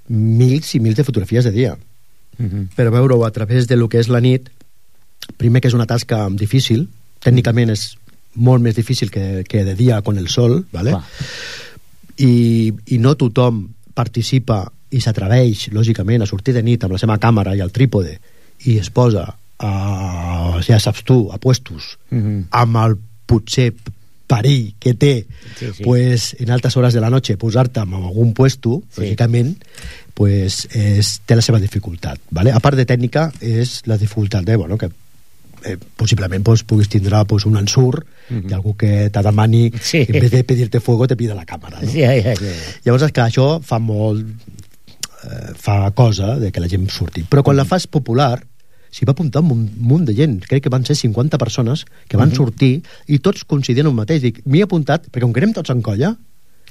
mils i mils de fotografies de dia. Uh-huh. Per veure-ho a través de lo que és la nit, primer que és una tasca difícil, tècnicament és molt més difícil que, que de dia con el sol, ¿vale? I, i no tothom participa i s'atreveix, lògicament, a sortir de nit amb la seva càmera i el trípode i es posa a, ja saps tu, a puestos, uh-huh, amb el potser perill que té, sí, sí, pues, en altes hores de la noche posar-te en algun puesto, sí, lògicament, pues, és, té la seva dificultat, ¿vale? A part de tècnica, és la dificultat de, bueno, que eh, possiblement pues, puguis tindre pues, un ensurt, uh-huh, i algú que te demani, sí, en vez de pedir-te fuego te pida la càmera, no? Sí, sí, sí. Llavors és que això fa molt eh, fa cosa de que la gent surti, però quan, uh-huh, la fas popular s'hi va apuntar un munt de gent, crec que van ser cinquanta persones que van, uh-huh, sortir, i tots coincidien un mateix. Dic, m'hi he apuntat perquè com que anem tots en colla,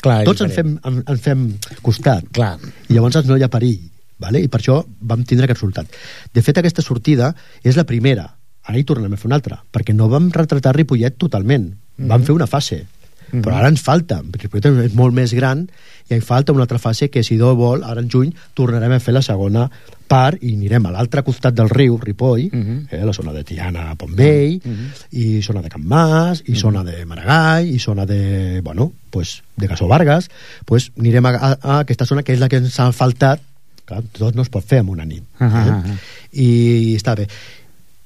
clar, tots en fem, en, en fem costat, clar, i llavors no hi ha perill, vale? I per això vam tindre aquest resultat. De fet, aquesta sortida és la primera, ara hi tornem a fer una altra, perquè no vam retratar Ripollet totalment, mm-hmm, vam fer una fase, mm-hmm, però ara ens falta, Ripollet és molt més gran i hi falta una altra fase que, si Déu vol, ara en juny tornarem a fer la segona part i anirem a l'altre costat del riu, Ripoll, mm-hmm, eh, la zona de Tiana, Pontvell, mm-hmm, i zona de Can Mas, i mm-hmm, zona de Maragall, i zona de, bueno, pues, de Gasó Vargas, pues anirem a, a, a aquesta zona que és la que ens ha faltat, clar, tot no es pot fer en una nit, eh? Uh-huh. I està bé.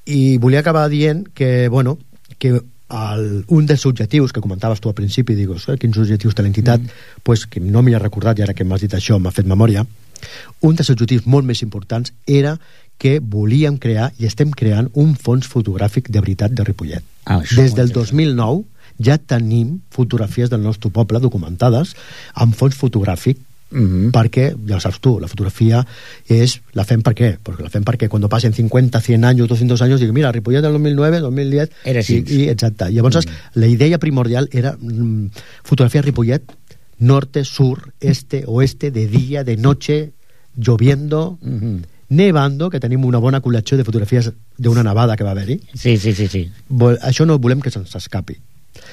I volia acabar dient que, bueno, que el, un dels objectius que comentaves tu al principi, dius, eh, quins objectius té l'entitat, mm. pues, que no m'hi he recordat, i ara que m'has dit això m'ha fet memòria, un dels objectius molt més importants era que volíem crear, i estem creant, un fons fotogràfic de veritat de Ripollet. Ah, des del dos mil nou ja tenim fotografies del nostre poble documentades amb fons fotogràfic. Mm-hmm. Perquè, ja ho saps tu, la fotografia és, la fem per què? Perquè la fem perquè quan passen cincuenta, cien anys, doscientos anys, dic, mira, Ripollet del dos mil nueve, dos mil diez era així, i, i exacte, llavors mm-hmm, la idea primordial era mm, fotografiar Ripollet norte, sur, este, oeste, de dia, de noche, lloviendo, mm-hmm, nevando, que tenim una bona col·lecció de fotografies d'una nevada que va haver-hi. Sí, sí, sí, sí. Vol, això no volem que se'ns escapi.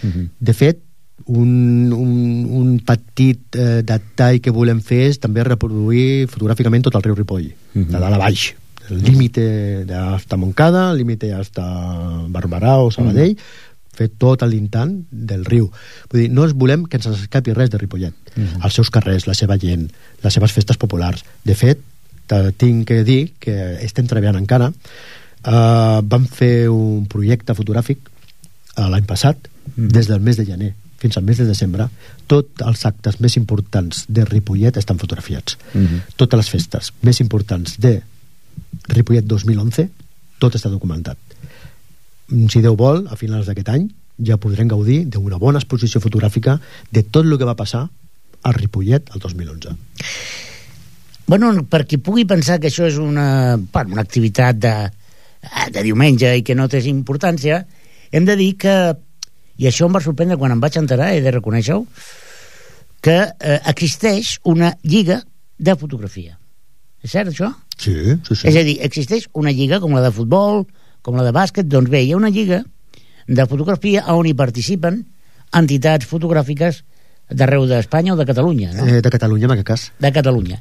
Mm-hmm. De fet, un, un, un petit eh, detall que volem fer és també reproduir fotogràficament tot el riu Ripoll, uh-huh, de dalt a baix, el límite hasta Montcada, el límite hasta Barberà o Sabadell, uh-huh, fer tot l'intant del riu. Vull dir, no es volem que ens escapi res de Ripollet, uh-huh, els seus carrers, la seva gent, les seves festes populars. De fet, tinc que dir que estem treballant encara. Uh, vam fer un projecte fotogràfic uh, l'any passat, uh-huh, des del mes de gener fins al mes de desembre, tots els actes més importants de Ripollet estan fotografiats. Uh-huh. Totes les festes més importants de Ripollet dos mil onze, tot està documentat. Si Déu vol, a finals d'aquest any ja podrem gaudir d'una bona exposició fotogràfica de tot el que va passar al Ripollet el dos mil onze. Bueno, per qui pugui pensar que això és una, bueno, una activitat de, de diumenge i que no té importància, hem de dir que, i això em va sorprendre quan em vaig enterar, he de reconèixer-ho, que eh, existeix una lliga de fotografia. És cert, això? Sí, sí, sí. És a dir, existeix una lliga com la de futbol, com la de bàsquet, doncs bé, hi ha una lliga de fotografia on hi participen entitats fotogràfiques d'arreu d'Espanya o de Catalunya, no? Eh, de Catalunya, en aquest cas. De Catalunya.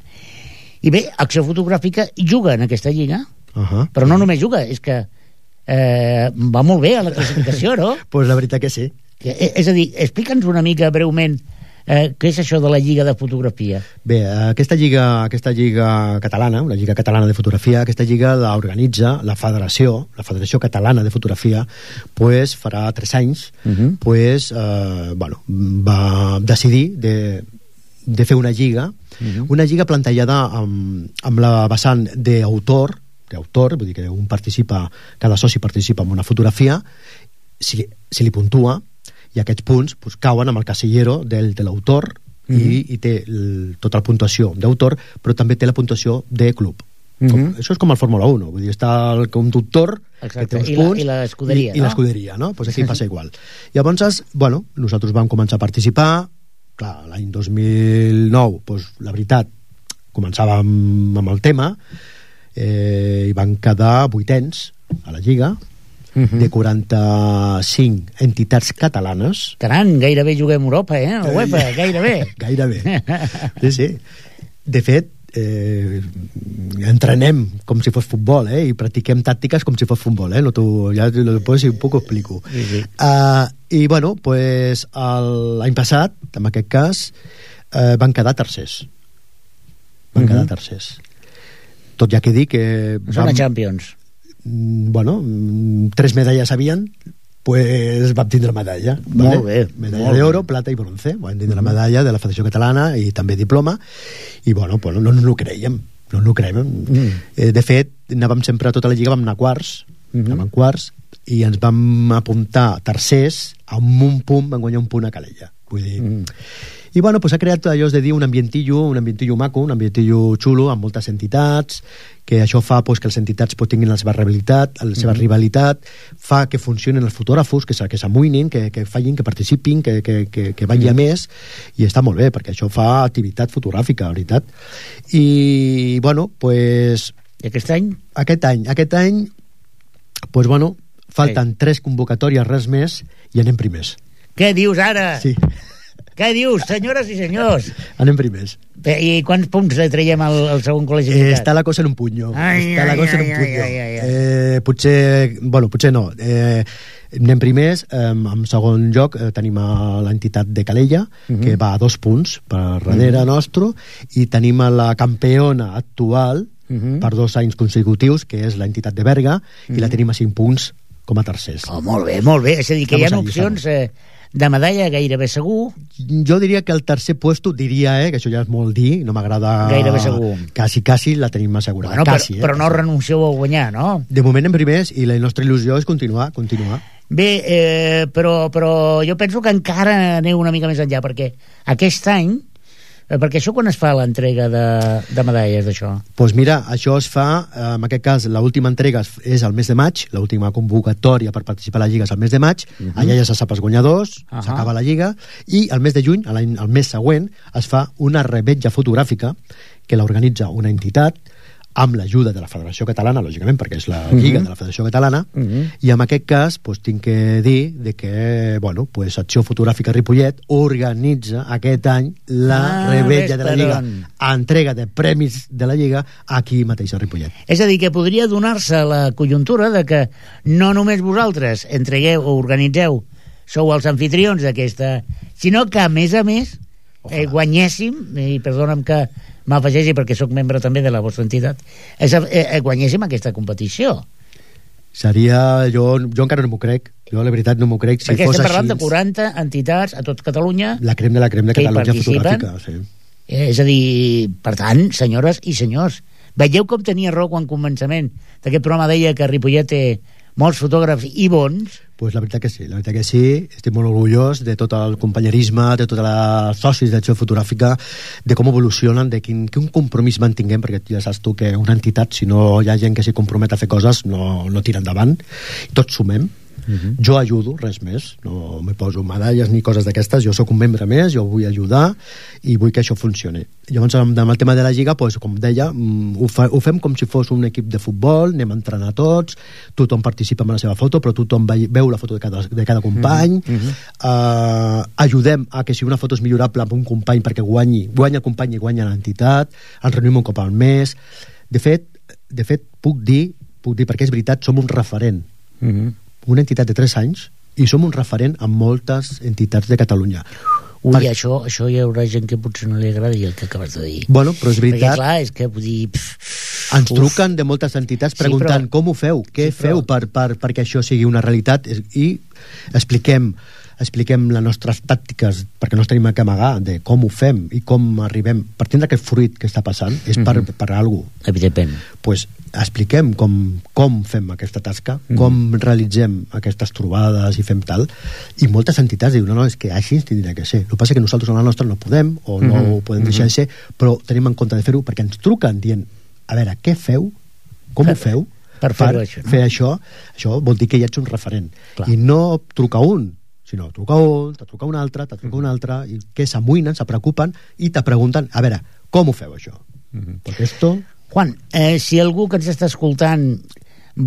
I bé, Acció Fotogràfica juga en aquesta lliga, uh-huh, però no només juga, és que eh, va molt bé a la classificació, no? Pues la veritat que sí. Que, és a dir, explica'ns una mica breument Eh, què és això de la Lliga de Fotografia? Bé, aquesta lliga, aquesta lliga catalana, una lliga catalana de fotografia, aquesta lliga l'organitza la Federació, la Federació Catalana de Fotografia, pues, farà tres anys, uh-huh. pues, eh, bueno, va decidir de, de fer una lliga, uh-huh. una lliga plantejada amb, amb la vessant d'autor, d'autor, vull dir que un participa, cada soci participa en una fotografia, si, si li puntua, i aquests punts pues, cauen amb el casillero del, de l'autor mm-hmm. i, i té el, tota la puntuació d'autor, però també té la puntuació de club. Mm-hmm. Com, això és com el Fórmula uno, vull dir, està el conductor que té uns I punts la, i l'escuderia, i, no? i l'escuderia, no? Pues aquí passa igual. Llavors, bueno, nosaltres vam començar a participar, clar, l'any dos mil nou, pues, la veritat, començàvem amb el tema, eh, i van quedar vuitens a la Lliga, Uh-huh. de quaranta-cinc entitats catalanes. Caram, gairebé juguem a Europa, eh? A UEFA, gairebé. Gairebé. Sí, sí. De fet, eh, entrenem com si fos futbol, eh? I practiquem tàctiques com si fos futbol, eh? No, tu, ja después un poc ho explico. Sí, sí. Uh, I, bueno, pues, l'any passat, en aquest cas, eh, van quedar tercers. Van uh-huh. quedar tercers. Tot ja que dic que... Són vam... a Champions. Bueno, tres medalles havien, pues vam tindre medalla, ¿vale? Molt bé, medalla d'oro, plata i bronce, vam tindre la medalla de la Federació Catalana i també diploma, i bueno, pues no ens ho creiem, no ens ho creiem. Mm. Eh, de fet, anàvem sempre a tota la lliga, vam anar quarts, mm-hmm. anàvem quarts, i ens vam apuntar tercers, amb un punt vam guanyar un punt a Calella. Vull dir... Mm. I bueno, pues ha creat allò de dir un ambientillo, un ambientillo maco, un ambientillo xulo, amb moltes entitats, que això fa pues, que les entitats pues, tinguin la seva rivalitat, la seva mm-hmm. rivalitat, fa que funcionin els fotògrafos, que, que s'amoïnin, que, que facin, que participin, que, que, que, que vagi a més, i està molt bé, perquè això fa activitat fotogràfica, la veritat. I, bueno, pues... I aquest any? Aquest any, aquest any, pues bueno, falten Ei. tres convocatòries, res més, i anem primers. Què dius ara? Sí. Què dius, senyores i senyors? Anem primers. I quants punts le traiem al, al segon col·legi? Eh, està la cosa en un puño. Ai, està la ai, cosa ai, en un puño. ai, ai, ai. Eh, potser, bueno, potser no. Eh, anem primers, eh, en segon lloc eh, tenim l'entitat de Calella, uh-huh. que va a dos punts per darrere uh-huh. nostre, i tenim a la campiona actual uh-huh. per dos anys consecutius, que és l'entitat de Berga, uh-huh. i la tenim a cinc punts com a tercers. Oh, molt bé, molt bé. És a dir, que estamos hi ha opcions... Eh, de medalla gairebé segur. Jo diria que el tercer puesto, diria, eh, que això ja és molt dir, no m'agrada... Gairebé segur. Quasi, quasi la tenim assegurada. Bueno, quasi, però, eh, però no renuncieu a guanyar, no? De moment en primers, i la nostra il·lusió és continuar, continuar. Bé, eh, però, però jo penso que encara aneu una mica més enllà, perquè aquest any, eh, perquè això quan es fa l'entrega de, de medalles d'això? Doncs pues mira, això es fa, eh, en aquest cas, l'última entrega és al mes de maig, l'última convocatòria per participar a la Lliga és al mes de maig, uh-huh. allà ja se sap els guanyadors, uh-huh. s'acaba la Lliga, i al mes de juny, al mes següent, es fa una revetlla fotogràfica que l'organitza una entitat amb l'ajuda de la Federació Catalana, lògicament, perquè és la Lliga uh-huh. de la Federació Catalana, uh-huh. i en aquest cas pues, tinc que dir de que bueno, pues, Acció Fotogràfica Ripollet organitza aquest any la ah, revetlla de la Lliga, entrega de premis de la Lliga aquí mateix a Ripollet. És a dir, que podria donar-se la conjuntura de que no només vosaltres entregueu o organitzeu, sou els anfitrions d'aquesta, sinó que a més a més eh, guanyéssim, i perdona'm que m'afegeixi perquè sóc membre també de la vostra entitat, és, eh, guanyéssim aquesta competició. Seria... Jo, jo encara no m'ho crec. Jo, la veritat, no m'ho crec. Si perquè fos estem parlant així, de quaranta entitats a tot Catalunya... La crem de la crem de Catalunya fotogràfica, sí. Eh, és a dir, per tant, senyores i senyors, veieu com tenia raó quan començament d'aquest programa deia que Ripollet té molts fotògrafs i bons? Pues la veritat que sí, la veritat que sí, estic molt orgullós de tot el companyerisme, de tots els socis d'Acció Fotogràfica, de com evolucionen, de quin, quin compromís mantinguem, perquè ja saps tu que una entitat, si no hi ha gent que s'hi compromet a fer coses, no, no tira endavant, i tots sumem. Uh-huh. Jo ajudo, res més, no me poso medalles ni coses d'aquestes, jo sóc un membre més, jo vull ajudar i vull que això funcioni. Llavors, amb el tema de la Lliga, pues, com deia, ho, fa, ho fem com si fos un equip de futbol, anem a entrenar tots, tothom participa amb la seva foto, però tothom veu la foto de cada, de cada company, uh-huh. uh, ajudem a que si una foto és millorable amb un company perquè guanyi, guanya el company i guanya l'entitat, ens reunim un cop al mes. De fet, de fet puc dir, puc dir perquè és veritat, som un referent. Uh-huh. Una entitat de tres anys i som un referent en moltes entitats de Catalunya. Ui, Per... això, això hi haurà gent que potser no li agrada i el que acabes de dir. Bueno, però és veritat. Perquè, clar, és que vull dir... Pff, ens uf. truquen de moltes entitats preguntant sí, però... com ho feu, què sí, feu per, per, perquè això sigui una realitat, i expliquem expliquem les nostres tàctiques, perquè no ens tenim que amagar de com ho fem i com arribem per tindre aquest fruit que està passant, és per, mm-hmm. per alguna cosa. Evidentment. Pues expliquem com, com fem aquesta tasca, mm-hmm. com realitzem aquestes trobades i fem tal, i moltes entitats diuen, no, no, és que així ens tindria que ser. El que passa és que nosaltres a la nostra no podem, o no mm-hmm. ho podem deixar de ser, però tenim en compte de fer-ho perquè ens truquen dient, a veure, què feu? Com per, ho feu? Per, per això, no? fer això, això vol dir que ja ets un referent. Clar. I no truca un, sinó truca un, te truca un altre, te truca un altre, i que s'amoïnen, se preocupen i te pregunten, a veure, com ho feu això? Mm-hmm. Perquè esto... Juan, eh, si algú que ens està escoltant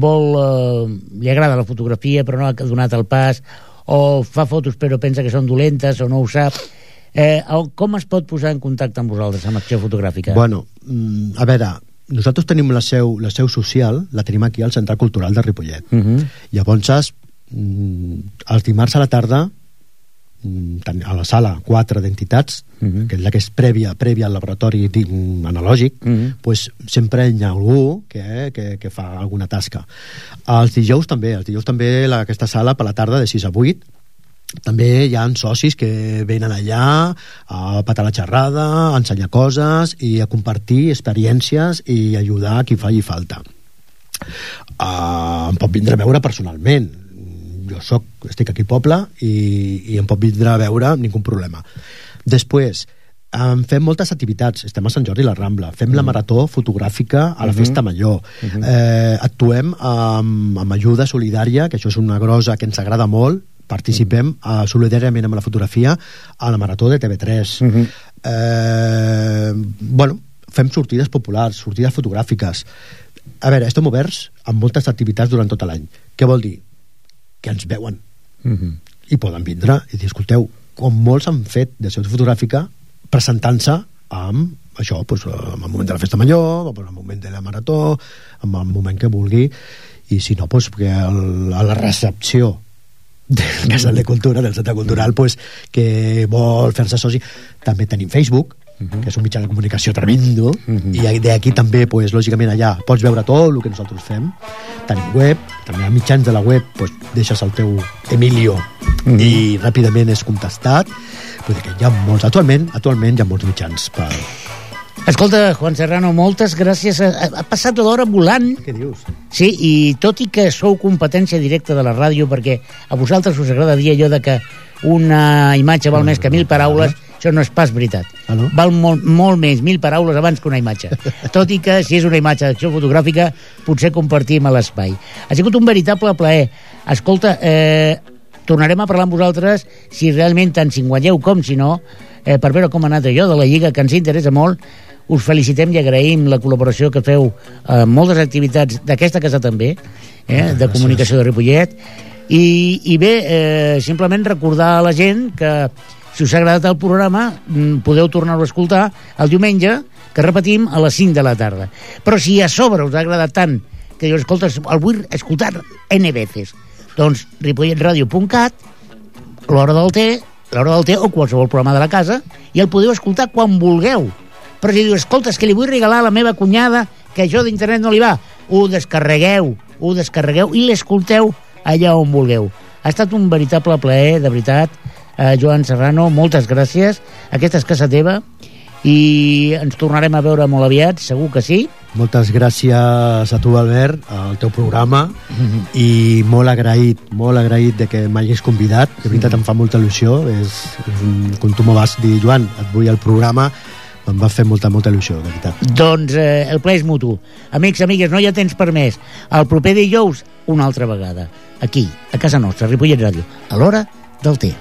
vol, eh, li agrada la fotografia però no ha donat el pas, o fa fotos però pensa que són dolentes o no ho sap, eh, com es pot posar en contacte amb vosaltres, amb Acció Fotogràfica? Bueno, a veure, nosaltres tenim la seu, la seu social, la tenim aquí al Centre Cultural de Ripollet. Uh-huh. Llavors, els dimarts a la tarda, a la sala quatre d'entitats, uh-huh. que és la que és prèvia, prèvia al laboratori analògic, uh-huh. pues sempre hi ha algú que, que, que fa alguna tasca. Els dijous també, els dijous també la, aquesta sala per la tarda de sis a vuit, també hi ha socis que venen allà a patar la xerrada, a ensenyar coses i a compartir experiències i ajudar a qui faci falta. Uh, em pot vindre a veure personalment. Jo soc, estic aquí al poble i, i em pot vindre a veure amb ningú problema. Després, um, fem moltes activitats. Estem a Sant Jordi i la Rambla, fem mm. la marató fotogràfica a la uh-huh. Festa Major, uh-huh. eh, actuem amb, amb ajuda solidària, que això és una grosa que ens agrada molt. Participem uh, solidàriament amb la fotografia a la marató de T V tres. Uh-huh. eh, bueno, fem sortides populars, sortides fotogràfiques. A veure, estem oberts amb moltes activitats durant tot l'any. Què vol dir? Que ens veuen uh-huh. i poden vindre i dir, escolteu, com molts han fet de sessió fotogràfica presentant-se amb això, doncs, en el moment de la Festa Major, en el moment de la marató, en el moment que vulgui, i si no, doncs, que el, a la recepció del Casal de Cultura, del Centre Cultural, pues, que vol fer-se soci. També tenim Facebook, uh-huh. que és un mitjà de comunicació tremendo, uh-huh. i d'aquí també, pues, lògicament, allà pots veure tot el que nosaltres fem. Tenim web, també a mitjans de la web, pues, deixes el teu Emilio uh-huh. i ràpidament és contestat. Vull dir que hi ha molts, actualment, actualment hi ha molts mitjans per... Escolta, Juan Serrano, moltes gràcies. Ha, ha passat l'hora volant. Què dius? Sí, i tot i que sou competència directa de la ràdio, perquè a vosaltres us agrada dir allò de que una imatge val més que mil paraules, això no és pas veritat. Ah, no? Val molt, molt més mil paraules abans que una imatge. Tot i que, si és una imatge d'acció fotogràfica, potser compartim a l'espai. Ha sigut un veritable plaer. Escolta, eh, tornarem a parlar amb vosaltres, si realment tant si guanyeu com si no, eh, per veure com ha anat allò de la Lliga, que ens interessa molt. Us felicitem i agraïm la col·laboració que feu en moltes activitats d'aquesta casa també, eh, de comunicació de Ripollet, i, i bé, eh, simplement recordar a la gent que si us ha agradat el programa podeu tornar-ho a escoltar el diumenge, que repetim a les cinc de la tarda. Però si a sobre us ha agradat tant que jo escoltes, el vull escoltar N veces, doncs ripolletradio punt cat, l'hora del té, l'hora del té o qualsevol programa de la casa, i el podeu escoltar quan vulgueu. Però si diu, escolta, és que li vull regalar a la meva cunyada que això d'internet no li va, ho descarregueu, ho descarregueu i l'escolteu allà on vulgueu. Ha estat un veritable plaer, de veritat, eh, Joan Serrano, moltes gràcies. Aquesta és casa teva i ens tornarem a veure molt aviat, segur que sí. Moltes gràcies a tu, Albert, al teu programa, mm-hmm. i molt agraït, molt agraït de que m'hagis convidat. De veritat, mm-hmm. em fa molta il·lusió. És, és un, com tu m'ho vas dir, Joan, et vull al programa, em va fer molta, molta il·lusió, de veritat. Doncs eh, el ple és mutu. Amics, amigues, no hi ha temps per més. El proper dijous, una altra vegada. Aquí, a casa nostra, Ripollet Ràdio, a l'hora del té.